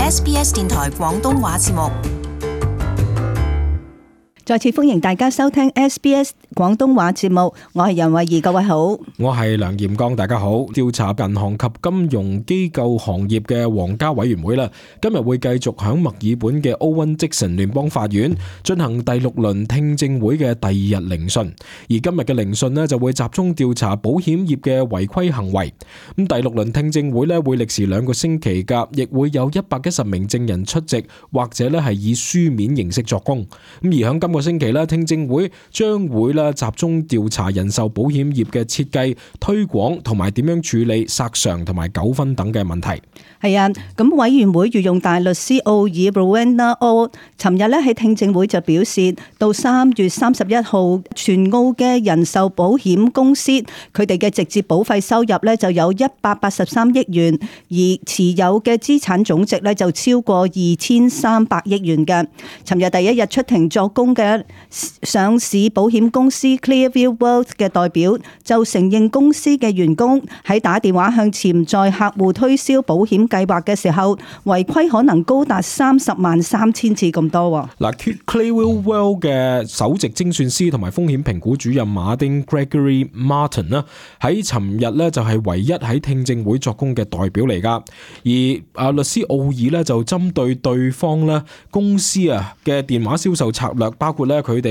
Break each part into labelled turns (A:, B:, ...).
A: SBS 電台廣東話節目。
B: 再次歡迎大家收聽 SBS 廣東話節目，我係楊慧儀，各位好。
C: 我係梁炎剛，大家好。調查銀行及金融機構行業嘅皇家委員會啦，今日會繼續響墨爾本嘅歐溫積臣聯邦法院進行第6輪聽證會嘅第2日聆訊，而今日嘅聆訊呢，就會集中調查保險業嘅違規行為。咁第6輪聽證會呢，會歷時2個星期噶，亦會有110名證人出席，或者呢係以書面形式作供。咁而響今個星期咧，聽證會將會咧集中調查人壽保險業嘅設計、推廣同埋點樣處理索償同埋糾紛等嘅問題。
B: 係啊，咁委員會御用大律師奧爾 Rowena O 尋日咧喺聽證會就表示，到3月31號，全澳嘅人壽保險公司佢哋嘅直接保費收入咧就有183億元，而持有嘅資產總值咧就超過2300億元嘅。尋日第一日出庭作供嘅上市保險公司 Clearview Wealth 嘅代表就承認公司嘅員工喺打電話向潛在客戶推銷保險計劃嘅時候，違規可能高達303000次咁多。
C: 嗱 ，Clearview Wealth 嘅首席精算師同埋風險評估主任馬丁 Gregory Martin 啦，喺尋日咧就係唯一喺聽證會作供嘅代表嚟噶。而律師奧爾咧就針對對方咧公司嘅電話銷售策略，包括咧佢哋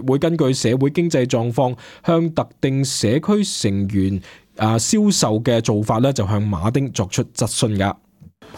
C: 會根據社會經濟狀況向特定社區成員銷售嘅做法咧，就向馬丁作出質詢噶。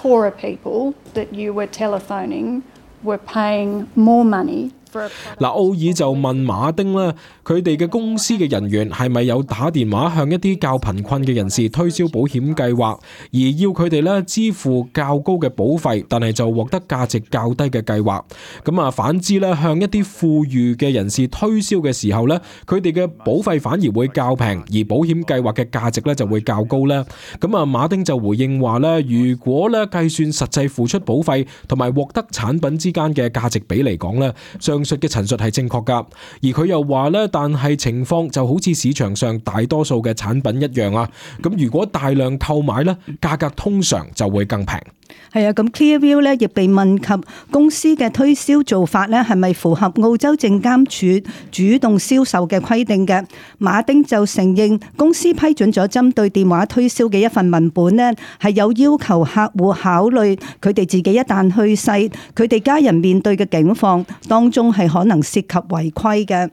D: Poorer people that you were telephoning were paying more money.
C: 嗱，奧爾就問馬丁咧，佢哋嘅公司嘅人員係咪有打電話向一啲較貧困嘅人士推銷保險計劃，而要佢哋咧支付較高嘅保費，但係就獲得價值較低嘅計劃。咁反之咧，向一啲富裕嘅人士推銷嘅時候咧，佢哋嘅保費反而會較平，而保險計劃嘅價值咧就會較高咧。咁馬丁就回應話咧，如果咧計算實際付出保費同埋獲得產品之間嘅價值比嚟講咧，上述嘅陳述係正確噶，而佢又話咧，但係情況就好似市場上大多數嘅產品一樣啊。咁如果大量購買咧，價格通常就會更平。
B: 係啊，咁 Clearview 咧亦被問及公司嘅推銷做法咧係咪符合澳洲證監處主動銷售嘅規定嘅？馬丁就承認公司批准咗針對電話推銷嘅一份文本咧，係有要求客戶考慮佢哋自己一旦去世，佢哋家人面對嘅境況當中係可能涉及違規嘅。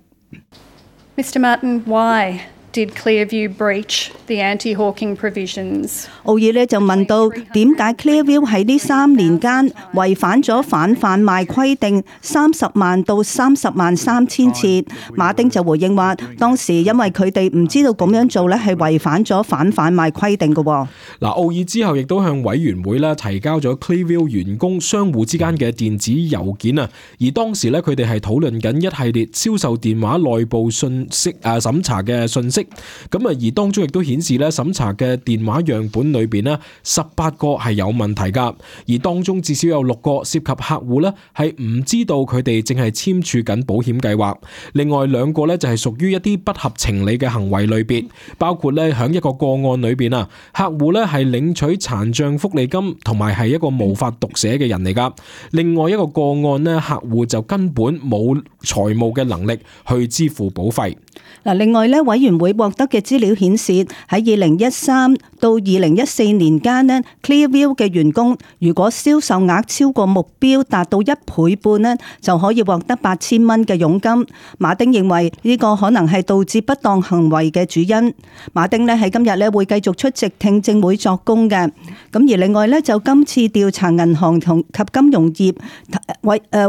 D: Mr. Martin, why did Clearview breach the anti-hawking provisions?
B: 奧爾咧就問到點解 Clearview 喺呢3年間違反咗反販賣規定30萬到30萬3千次。馬丁就回應話，當時因為佢哋唔知道咁樣做咧係違反咗反販賣規定嘅。嗱，
C: 奧爾之後亦都向委員會咧提交咗 Clearview 員工相互之間嘅電子郵件啊，而當時咧佢哋係討論緊一系列銷售電話內部信息審查嘅信息。而當中亦都顯示咧，審查嘅電話樣本裏邊咧，18個係有問題噶，而當中至少有6個涉及客戶咧係唔知道佢哋正係簽署緊保險計劃，另外2個咧就係屬於一啲不合情理嘅行為類別，包括咧響一個個案裏邊客戶咧係領取殘障福利金同埋係一個無法讀寫嘅人嚟噶，另外一個個案咧客戶就根本冇財務嘅能力去支付保費。
B: 另外咧，委員會獲得嘅資料顯示，喺2013到2014年間咧 ，Clearview 嘅員工如果銷售額超過目標達到1倍半咧，就可以獲得8000蚊嘅佣金。馬丁認為呢個可能係導致不當行為嘅主因。馬丁咧喺今日咧會繼續出席聽證會作供嘅。咁而另外咧，就今次調查銀行及金融業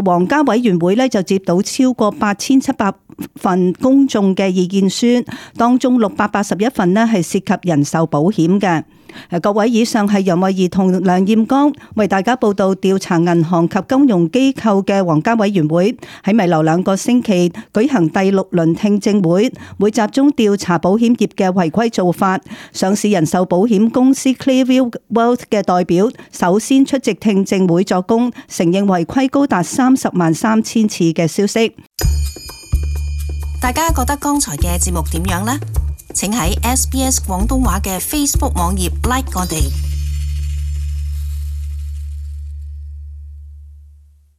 B: 皇家委員會咧就接到超過8700份公眾嘅意見書，當中681份呢係涉及人壽保險嘅。各位，以上係楊慧儀同梁艷剛為大家報道調查銀行及金融機構嘅皇家委員會喺未來2個星期舉行第6輪聽證會，會集中調查保險業嘅違規做法。上市人壽保險公司 Clearview Wealth 嘅代表首先出席聽證會作供，承認違規高達30萬3千次嘅消息。
A: 大家覺得剛才嘅節目點樣呢？請喺 SBS 廣東話嘅 Facebook 網頁 like 我哋。